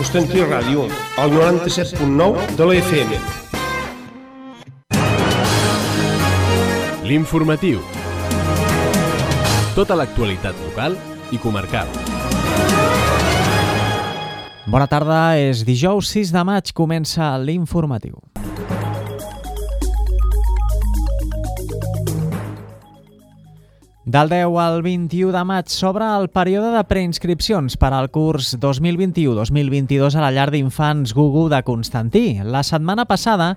Constantí Ràdio, al 97.9 de la FM. L'informatiu. Tota l'actualitat local i comarcal. Bona tarda, és dijous 6 de maig, comença l'informatiu. Del 10 al 21 de maig s'obre el període de preinscripcions per al curs 2021-2022 a la llar d'infants Gugu de Constantí. La setmana passada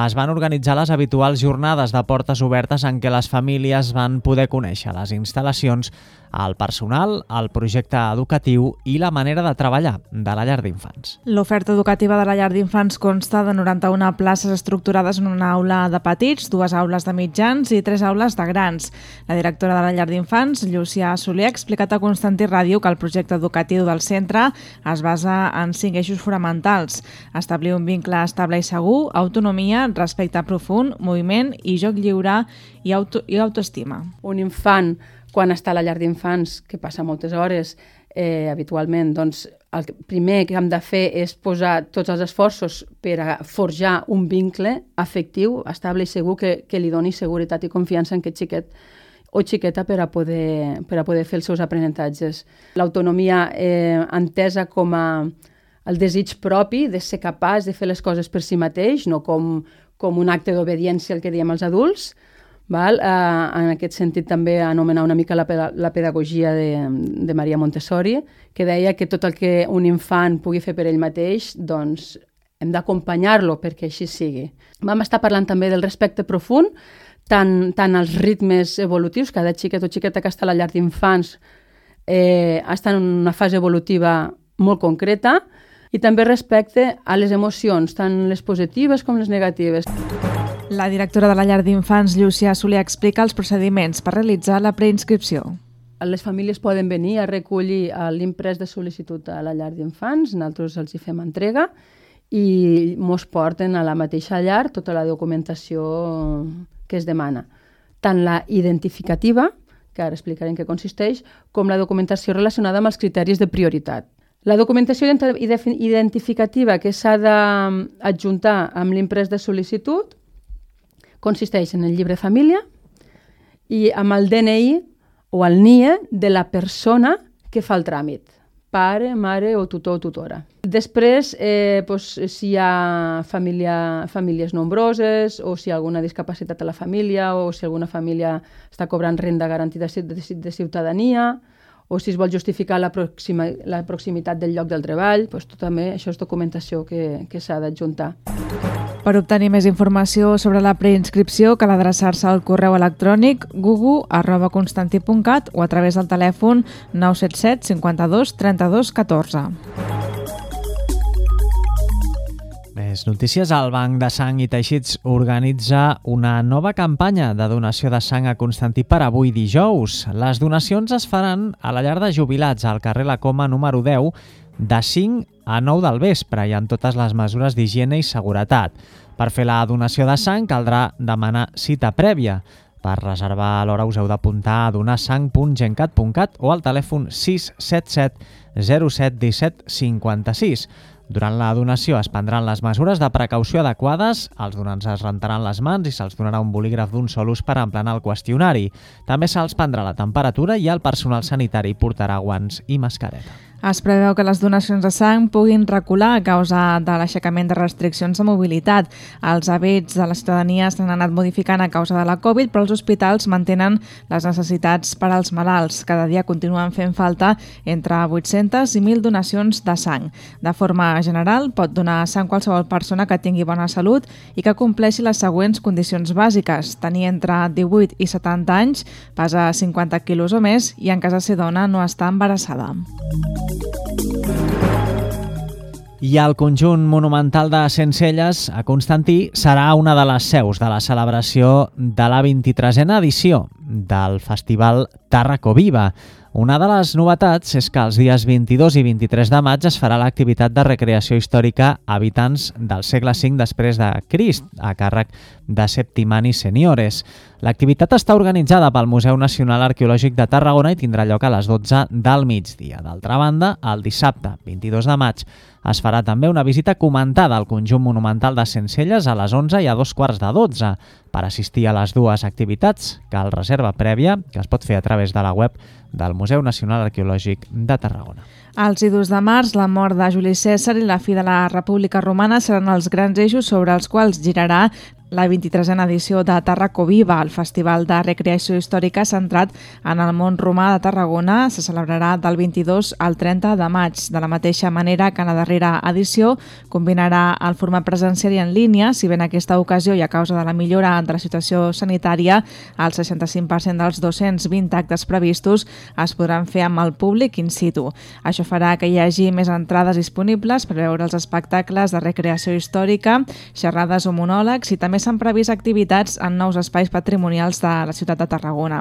es van organitzar les habituals jornades de portes obertes en què les famílies van poder conèixer les instal·lacions, el personal, el projecte educatiu i la manera de treballar de la llar d'infants. L'oferta educativa de la llar d'infants consta de 91 places estructurades en una aula de petits, 2 aules de mitjans i 3 aules de grans. La directora de la llar d'infants, Llúcia Soler, ha explicat a Constantí Ràdio que el projecte educatiu del centre es basa en 5 eixos fonamentals: establir un vincle estable i segur, autonomia, respecte profund, moviment i joc lliure i autoestima. Un infant, quan està a la llar d'infants, que passa moltes hores habitualment, doncs el primer que hem de fer és posar tots els esforços per a forjar un vincle afectiu, estable i segur que li doni seguretat i confiança en aquest xiquet o xiqueta per a poder fer els seus aprenentatges. L'autonomia entesa com a el desig propi de ser capaç de fer les coses per si mateix, no com un acte d'obediència al que diem els adults. Val? En aquest sentit també anomenar una mica la pedagogia de Maria Montessori, que deia que tot el que un infant pugui fer per ell mateix, doncs hem d'acompanyar-lo perquè així sigui. Vam estar parlant també del respecte profund, tant als ritmes evolutius, cada xiquet o xiqueta que està a la llar d'infants està en una fase evolutiva molt concreta, i també respecte a les emocions, tant les positives com les negatives. La directora de la llar d'infants, Llúcia Soler, explica els procediments per realitzar la preinscripció. Les famílies poden venir a recollir l'imprès de sol·licitud a la llar d'infants, nosaltres els hi fem entrega i mos porten a la mateixa llar tota la documentació que es demana. Tant la identificativa, que ara explicaré en què consisteix, com la documentació relacionada amb els criteris de prioritat. La documentació identificativa que s'ha d'adjuntar amb l'imprès de sol·licitud consisteix en el llibre de família i amb el DNI o el NIE de la persona que fa el tràmit, pare, mare o tutor o tutora. Després, si hi ha famílies nombroses o si hi ha alguna discapacitat a la família o si alguna família està cobrant renda garantida de ciutadania, o si es vol justificar la proximitat del lloc del treball, també això és documentació que s'ha d'adjuntar. Per obtenir més informació sobre la preinscripció cal adreçar-se al correu electrònic gugu@constantí.cat o a través del telèfon 977 52 32 14. Més notícies. El Banc de Sang i Teixits organitza una nova campanya de donació de sang a Constantí per avui dijous. Les donacions es faran a la llar de jubilats al carrer La Coma número 10 de 5 a 9 del vespre i amb totes les mesures d'higiene i seguretat. Per fer la donació de sang caldrà demanar cita prèvia. Per reservar a l'hora us heu d'apuntar a donarsang.gencat.cat o al telèfon 677 07 17 56. Durant la donació es prendran les mesures de precaució adequades, els donants es rentaran les mans i se'ls donarà un bolígraf d'un sol ús per emplenar el qüestionari. També se'ls prendrà la temperatura i el personal sanitari portarà guants i mascareta. Es preveu que les donacions de sang puguin recular a causa de l'aixecament de restriccions de mobilitat. Els hàbits de la ciutadania s'han anat modificant a causa de la Covid, però els hospitals mantenen les necessitats per als malalts. Cada dia continuen fent falta entre 800 i 1.000 donacions de sang. De forma general, pot donar sang qualsevol persona que tingui bona salut i que compleixi les següents condicions bàsiques: tenir entre 18 i 70 anys, pesar 50 quilos o més i, en cas de ser dona, no estar embarassada. I el conjunt monumental de Sencelles, a Constantí, serà una de les seus de la celebració de la 23a edició del Festival Tàrraco Viva. Una de les novetats és que els dies 22 i 23 de maig es farà l'activitat de recreació històrica Habitants del segle V després de Crist, a càrrec de Septimani Seniores. L'activitat està organitzada pel Museu Nacional Arqueològic de Tarragona i tindrà lloc a les 12 del migdia. D'altra banda, el dissabte 22 de maig es farà també una visita comentada al conjunt monumental de Sencelles a les 11 i a 11:45. Per assistir a les dues activitats cal reserva prèvia, que es pot fer a través de la web del Museu Nacional Arqueològic de Tarragona. Els idus de març, la mort de Juli Cèsar i la fi de la República Romana seran els grans eixos sobre els quals girarà la 23a edició de Tarraco Viva, el festival de recreació històrica centrat en el món romà de Tarragona. Se celebrarà del 22 al 30 de maig. De la mateixa manera que en la darrera edició combinarà el format presencial i en línia, si bé en aquesta ocasió i a causa de la millora de la situació sanitària, el 65% dels 220 actes previstos es podran fer amb el públic in situ. Això farà que hi hagi més entrades disponibles per veure els espectacles de recreació històrica, xerrades o monòlegs, i també s'han previst activitats en nous espais patrimonials de la ciutat de Tarragona.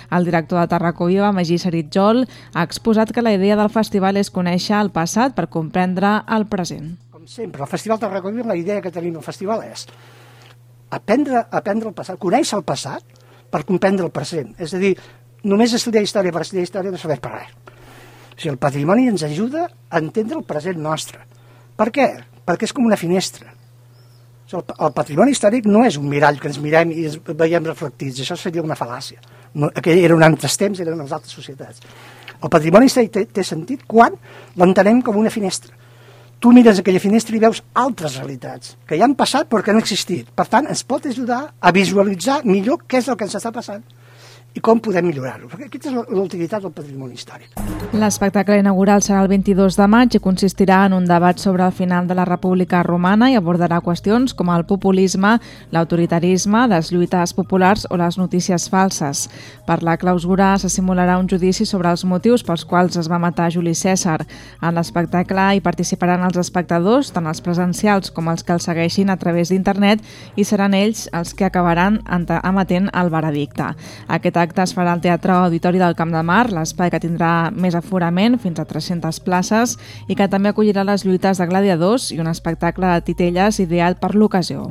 El director de Tarraco Viva, Magí Saritjol, ha exposat que la idea del festival és conèixer el passat per comprendre el present. Com sempre, el Festival Tarraco Viva, la idea que tenim al festival és aprendre el passat, conèixer el passat per comprendre el present. És a dir, només estudiar història per estudiar història no serveix per res. O sigui, el patrimoni ens ajuda a entendre el present nostre. Per què? Perquè és com una finestra. El patrimoni històric no és un mirall que ens mirem i ens veiem reflectits, això seria una fal·làcia. Aquell eren altres temps, eren les altres societats. El patrimoni històric té sentit quan l'entenem com una finestra. Tu mires aquella finestra i veus altres realitats que ja han passat però que no han existit. Per tant, ens pot ajudar a visualitzar millor què és el que ens està passant i com podem millorar-ho. Perquè aquesta és l'utilitat del patrimoni històric. L'espectacle inaugural serà el 22 de maig i consistirà en un debat sobre el final de la República Romana i abordarà qüestions com el populisme, l'autoritarisme, les lluites populars o les notícies falses. Per la clausura se simularà un judici sobre els motius pels quals es va matar Juli Cèsar. En l'espectacle hi participaran els espectadors, tant els presencials com els que els segueixin a través d'internet, i seran ells els que acabaran emetent el veredicte. Aquest acte es farà al Teatre Auditori del Camp de Mar, l'espai que tindrà més aforament, fins a 300 places, i que també acollirà les lluites de gladiadors i un espectacle de titelles ideal per l'ocasió.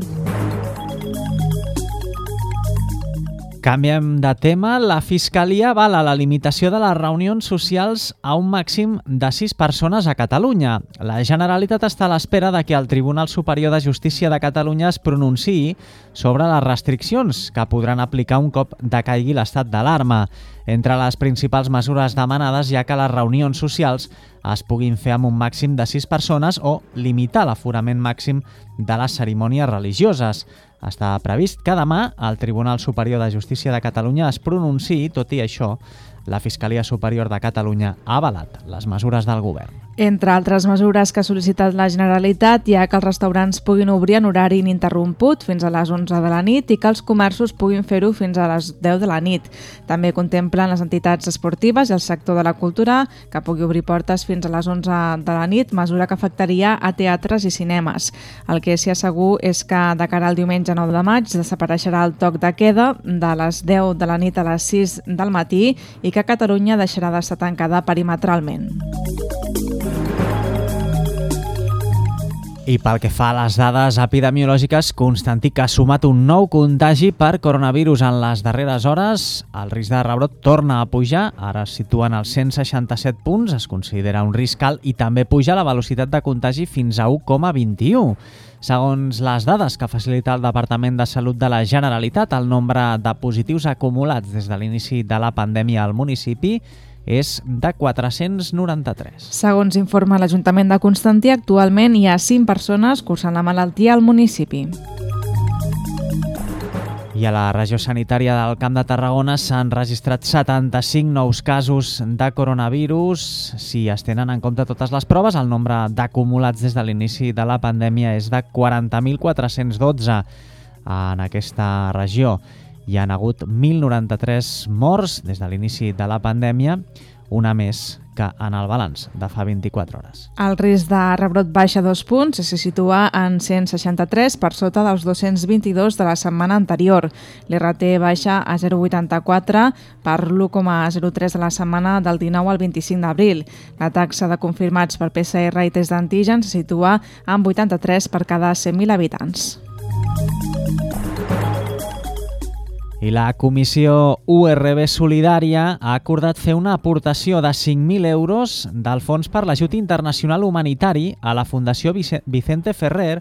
Canviem de tema. La Fiscalia avala la limitació de les reunions socials a un màxim de 6 persones a Catalunya. La Generalitat està a l'espera de que el Tribunal Superior de Justícia de Catalunya es pronunciï sobre les restriccions que podran aplicar un cop decaigui l'estat d'alarma. Entre les principals mesures demanades hi ha que les reunions socials es puguin fer amb un màxim de 6 persones o limitar l'aforament màxim de les cerimònies religioses. Està previst que demà el Tribunal Superior de Justícia de Catalunya es pronunciï. Tot i això, la Fiscalia Superior de Catalunya ha avalat les mesures del govern. Entre altres mesures que ha sol·licitat la Generalitat hi ha que els restaurants puguin obrir en horari ininterromput fins a les 11 de la nit i que els comerços puguin fer-ho fins a les 10 de la nit. També contemplen les entitats esportives i el sector de la cultura, que pugui obrir portes fins a les 11 de la nit, mesura que afectaria a teatres i cinemes. El que sí segur és que de cara al diumenge 9 de maig desapareixerà el toc de queda de les 10 de la nit a les 6 del matí i que Catalunya deixarà d'estar tancada perimetralment. I pel que fa a les dades epidemiològiques, Constantí, que ha sumat un nou contagi per coronavirus en les darreres hores. El risc de rebrot torna a pujar, ara es situen als 167 punts, es considera un risc alt, i també puja la velocitat de contagi fins a 1,21. Segons les dades que facilita el Departament de Salut de la Generalitat, el nombre de positius acumulats des de l'inici de la pandèmia al municipi és de 493. Segons informa l'Ajuntament de Constantí, actualment hi ha 5 persones cursant la malaltia al municipi. I a la regió sanitària del Camp de Tarragona s'han registrat 75 nous casos de coronavirus. Si es tenen en compte totes les proves, el nombre d'acumulats des de l'inici de la pandèmia és de 40.412 en aquesta regió. Hi han hagut 1.093 morts des de l'inici de la pandèmia, una més que en el balanç de fa 24 hores. El risc de rebrot baixa 2 punts i se situa en 163 per sota dels 222 de la setmana anterior. L'RT baixa a 0,84 per l'1,03 de la setmana del 19 al 25 d'abril. La taxa de confirmats per PCR i test d'antígens se situa en 83 per cada 100.000 habitants. I la Comissió URB Solidària ha acordat fer una aportació de 5.000 euros del Fons per l'Ajut Internacional Humanitari a la Fundació Vicente Ferrer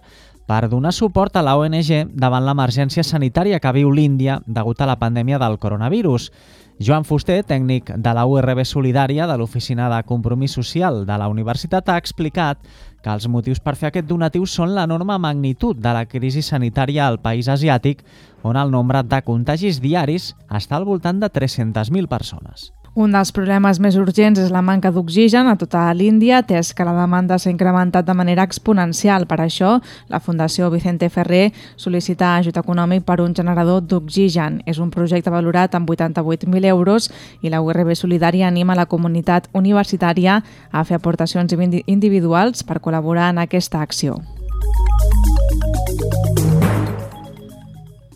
per donar suport a la ONG davant l'emergència sanitària que viu l'Índia degut a la pandèmia del coronavirus. Joan Fuster, tècnic de la URB Solidària de l'Oficina de Compromís Social de la Universitat, ha explicat que els motius per fer aquest donatiu són l'enorme magnitud de la crisi sanitària al país asiàtic, on el nombre de contagis diaris està al voltant de 300.000 persones. Un dels problemes més urgents és la manca d'oxigen a tota l'Índia, atès que la demanda s'ha incrementat de manera exponencial. Per això, la Fundació Vicente Ferrer sol·licita ajut econòmic per un generador d'oxigen. És un projecte valorat amb 88.000 euros i la URB Solidària anima la comunitat universitària a fer aportacions individuals per col·laborar en aquesta acció.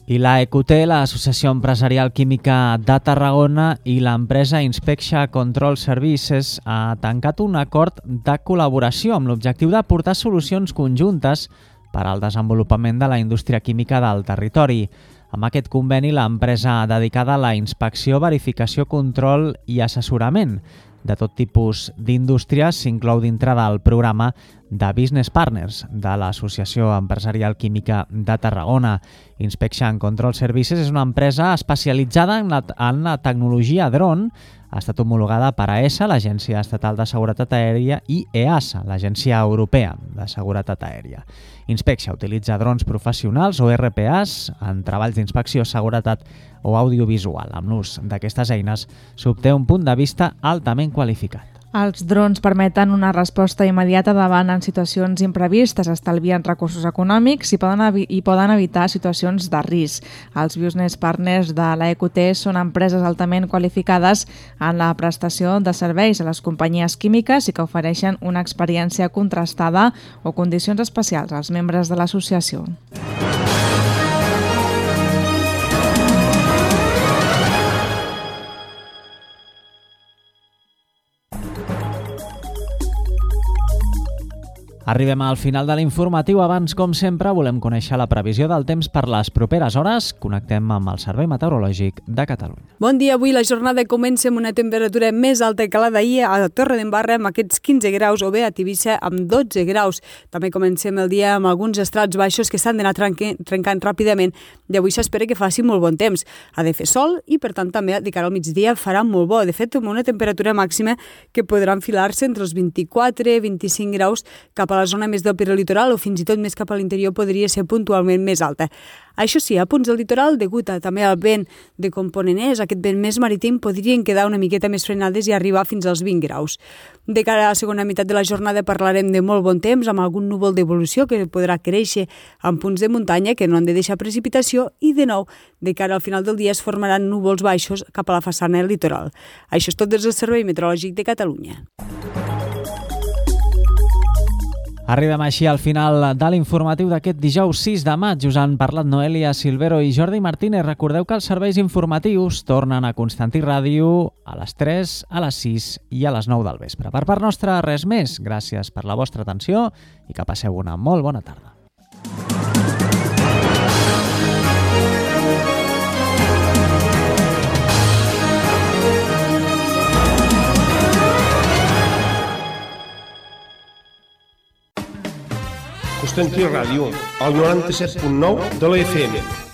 I la EQT, l'Associació Empresarial Química de Tarragona i l'empresa Inspection Control Services ha tancat un acord de col·laboració amb l'objectiu d'aportar solucions conjuntes per al desenvolupament de la indústria química del territori. Amb aquest conveni, l'empresa dedicada a la inspecció, verificació, control i assessorament de tot tipus d'indústries s'inclou dintre del programa de Business Partners de l'Associació Empresarial Química de Tarragona. Inspection Control Services és una empresa especialitzada en la tecnologia dron. Ha estat homologada per AESA, l'Agència Estatal de Seguretat Aèria, i EASA, l'Agència Europea de Seguretat Aèria. Inspection utilitza drons professionals o RPAs en treballs d'inspecció, seguretat o audiovisual. Amb l'ús d'aquestes eines s'obté un punt de vista altament qualificat. Els drons permeten una resposta immediata davant en situacions imprevistes, estalvien recursos econòmics i poden evitar situacions de risc. Els business partners de la EQT són empreses altament qualificades en la prestació de serveis a les companyies químiques i que ofereixen una experiència contrastada o condicions especials als membres de l'associació. Arribem al final de l'informatiu. Abans, com sempre, volem conèixer la previsió del temps per les properes hores. Connectem amb el Servei Meteorològic de Catalunya. Bon dia. Avui la jornada comença amb una temperatura més alta que la d'ahir a Torredembarra amb aquests 15 graus o bé a Tivissa amb 12 graus. També comencem el dia amb alguns estrats baixos que s'han d'anar trencant ràpidament i avui s'espera que faci molt bon temps. Ha de fer sol i, per tant, també de cara al migdia farà molt bo. De fet, amb una temperatura màxima que podrà enfilar-se entre els 24 i 25 graus cap a la zona més del perilitoral o fins i tot més cap a l'interior podria ser puntualment més alta. Això sí, a punts del litoral, degut a també al vent de component est, aquest vent més marítim, podrien quedar una miqueta més frenades i arribar fins als 20 graus. De cara a la segona meitat de la jornada parlarem de molt bon temps, amb algun núvol d'evolució que podrà créixer en punts de muntanya que no han de deixar precipitació i, de nou, de cara al final del dia es formaran núvols baixos cap a la façana litoral. Això és tot des del Servei Meteorològic de Catalunya. Arribem així al final de l'informatiu d'aquest dijous 6 de maig. Us han parlat Noelia Silvero i Jordi Martínez. Recordeu que els serveis informatius tornen a Constantí Ràdio a les 3, a les 6 i a les 9 del vespre. Per part nostra, res més. Gràcies per la vostra atenció i que passeu una molt bona tarda. Constantí Ràdio, el 97.9 de la FM.